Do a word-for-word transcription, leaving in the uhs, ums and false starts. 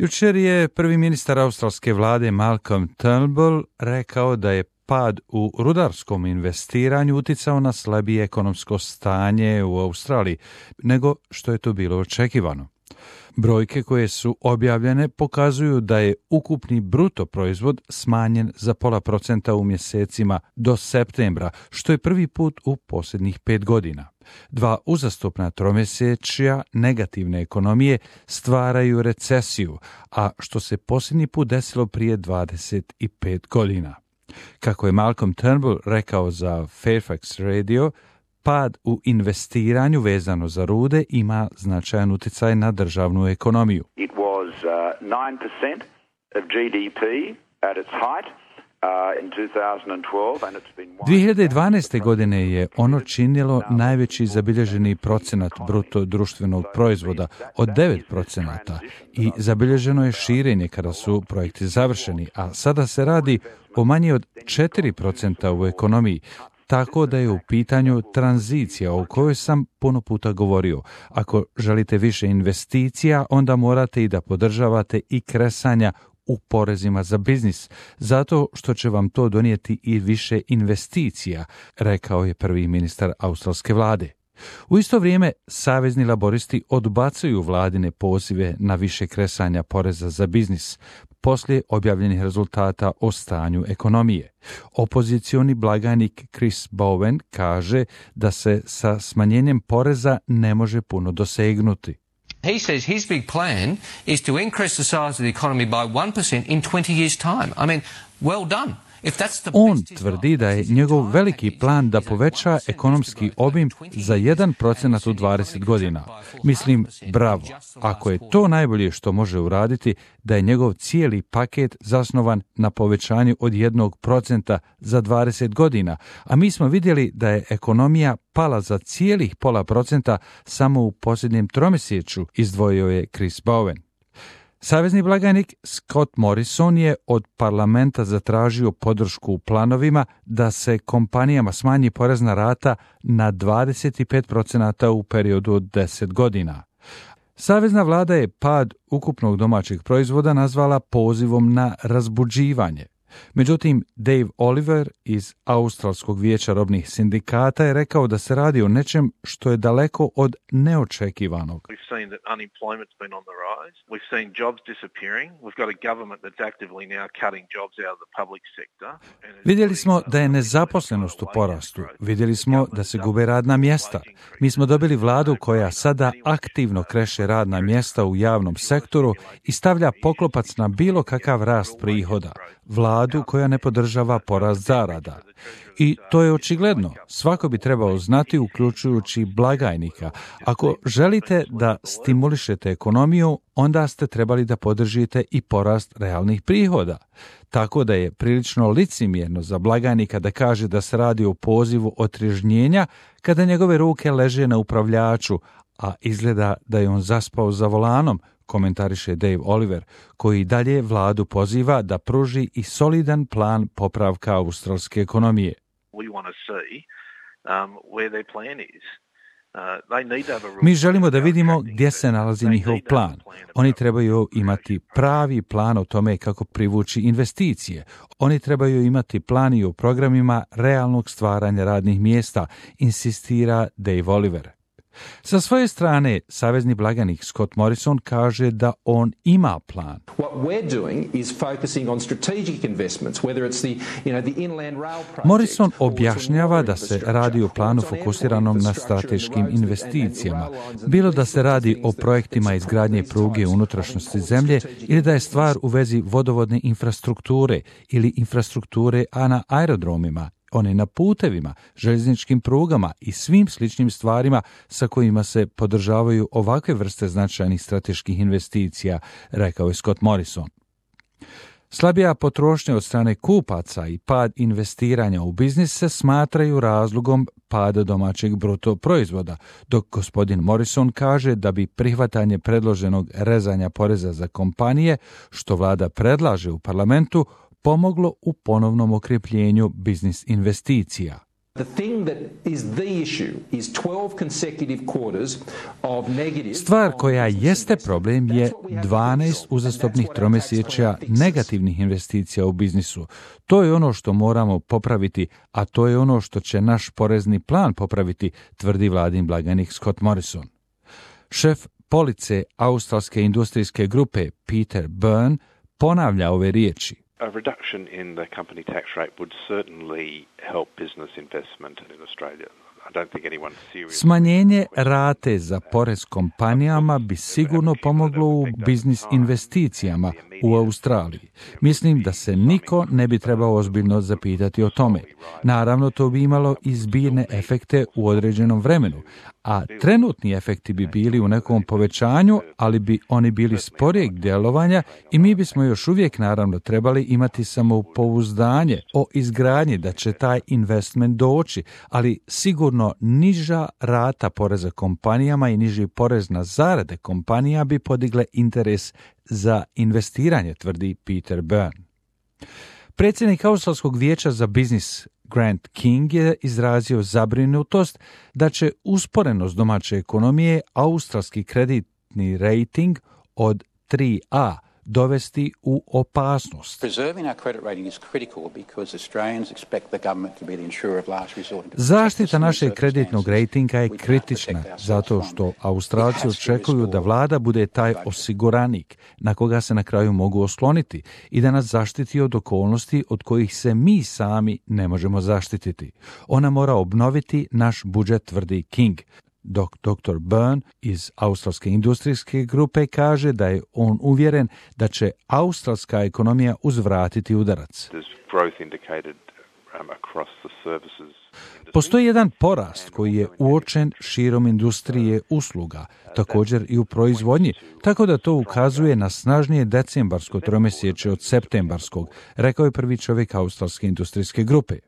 Jučer je prvi ministar australske vlade Malcolm Turnbull rekao da je pad u rudarskom investiranju uticao na slabije ekonomsko stanje u Australiji nego što je to bilo očekivano. Brojke koje su objavljene pokazuju da je ukupni bruto proizvod smanjen za pola procenta u mjesecima do septembra, što je prvi put u posljednjih pet godina. Dva uzastopna tromjesečja negativne ekonomije stvaraju recesiju, a što se posljednji put desilo prije dvadeset pet godina. Kako je Malcolm Turnbull rekao za Fairfax Radio, pad u investiranju vezano za rude ima značajan utjecaj na državnu ekonomiju. It was uh, nine percent of G D P at its height uh, in twenty twelve and it's been dvije hiljade dvanaeste. godine je ono činilo najveći zabilježeni procenat bruto društvenog proizvoda od devet procenata i zabilježeno je širenje kada su projekti završeni, a sada se radi o manje od četiri procenta u ekonomiji. Tako da je u pitanju tranzicija o kojoj sam puno puta govorio. Ako želite više investicija, onda morate i da podržavate i kresanja u porezima za biznis, zato što će vam to donijeti i više investicija, rekao je prvi ministar australske vlade. U isto vrijeme, savezni laboristi odbacuju vladine pozive na više kresanja poreza za biznis, poslije objavljenih rezultata o stanju ekonomije. Opozicioni blagajnik Chris Bowen kaže da se sa smanjenjem poreza ne može puno dosegnuti. He says his big plan is to increase the size of the economy by one percent in twenty years' time. I mean, well done. On tvrdi da je njegov veliki plan da poveća ekonomski obim za jedan procenat u dvadeset godina. Mislim, bravo. Ako je to najbolje što može uraditi, da je njegov cijeli paket zasnovan na povećanju od jednog procenta za dvadeset godina, a mi smo vidjeli da je ekonomija pala za cijelih pola procenta samo u posljednjem tromjesečju, izdvojio je Chris Bowen. Savezni blagajnik Scott Morrison je od parlamenta zatražio podršku u planovima da se kompanijama smanji porezna rata na dvadeset pet procenata u periodu od deset godina. Savezna vlada je pad ukupnog domaćeg proizvoda nazvala pozivom na razbuđivanje. Međutim, Dave Oliver iz Australskog vijeća robnih sindikata je rekao da se radi o nečem što je daleko od neočekivanog. Vidjeli smo da je nezaposlenost u porastu. Vidjeli smo da se gube radna mjesta. Mi smo dobili vladu koja sada aktivno kreše radna mjesta u javnom sektoru i stavlja poklopac na bilo kakav rast prihoda. Vladu koja ne podržava porast zarada. I to je očigledno. Svako bi trebao znati, uključujući blagajnika. Ako želite da stimulišete ekonomiju, onda ste trebali da podržite i porast realnih prihoda. Tako da je prilično licemjerno za blagajnika da kaže da se radi o pozivu otrežnjenja kada njegove ruke leže na upravljaču, a izgleda da je on zaspao za volanom, komentariše Dave Oliver, koji dalje vladu poziva da pruži i solidan plan popravka australske ekonomije. Mi želimo da vidimo gdje se nalazi njihov plan. Oni trebaju imati pravi plan o tome kako privući investicije. Oni trebaju imati plan i o programima realnog stvaranja radnih mjesta, insistira Dave Oliver. Sa svoje strane, savezni blagajnik Scott Morrison kaže da on ima plan. Morrison objašnjava da se radi o planu fokusiranom na strateškim investicijama, bilo da se radi o projektima izgradnje pruge u unutrašnjosti zemlje ili da je stvar u vezi vodovodne infrastrukture ili infrastrukture a na aerodromima, one na putevima, željezničkim prugama i svim sličnim stvarima sa kojima se podržavaju ovakve vrste značajnih strateških investicija, rekao je Scott Morrison. Slabija potrošnja od strane kupaca i pad investiranja u biznis se smatraju razlogom pada domaćeg bruto proizvoda, dok gospodin Morrison kaže da bi prihvatanje predloženog rezanja poreza za kompanije, što vlada predlaže u parlamentu, pomoglo u ponovnom okrepljenju biznis investicija. Stvar koja jeste problem je dvanaest uzastopnih tromjesečja negativnih investicija u biznisu. To je ono što moramo popraviti, a to je ono što će naš porezni plan popraviti, tvrdi vladin blagajnik Scott Morrison. Šef police australske industrijske grupe Peter Byrne ponavlja ove riječi. A reduction in the company tax rate would certainly help business investment in Australia. I don't think anyone serious... Smanjenje rate za porez kompanijama bi sigurno pomoglo u biznis investicijama u Australiji. Mislim da se niko ne bi trebao ozbiljno zapitati o tome. Naravno, to bi imalo i zbirne efekte u određenom vremenu, a trenutni efekti bi bili u nekom povećanju, ali bi oni bili sporijeg djelovanja i mi bismo još uvijek naravno trebali imati samopouzdanje o izgradnji da će taj investment doći, ali sigurno niža rata poreza kompanijama i niži porez na zarade kompanija bi podigle interes za investiranje, tvrdi Peter Byrne. Predsjednik Australskog vijeća za biznis Grant King je izrazio zabrinutost da će usporenost domaće ekonomije australski kreditni rating od tri A dovesti u opasnost. Zaštita našeg kreditnog rejtinga je kritična zato što Australci očekuju da vlada bude taj osiguranik na koga se na kraju mogu osloniti i da nas zaštiti od okolnosti od kojih se mi sami ne možemo zaštititi. Ona mora obnoviti naš budžet, tvrdi King. Dok doktor Byrne iz australske industrijske grupe kaže da je on uvjeren da će australska ekonomija uzvratiti udarac. Postoji jedan porast koji je uočen širom industrije usluga, također i u proizvodnji, tako da to ukazuje na snažnije decembarsko tromjesečje od septembarskog, rekao je prvi čovjek australske industrijske grupe.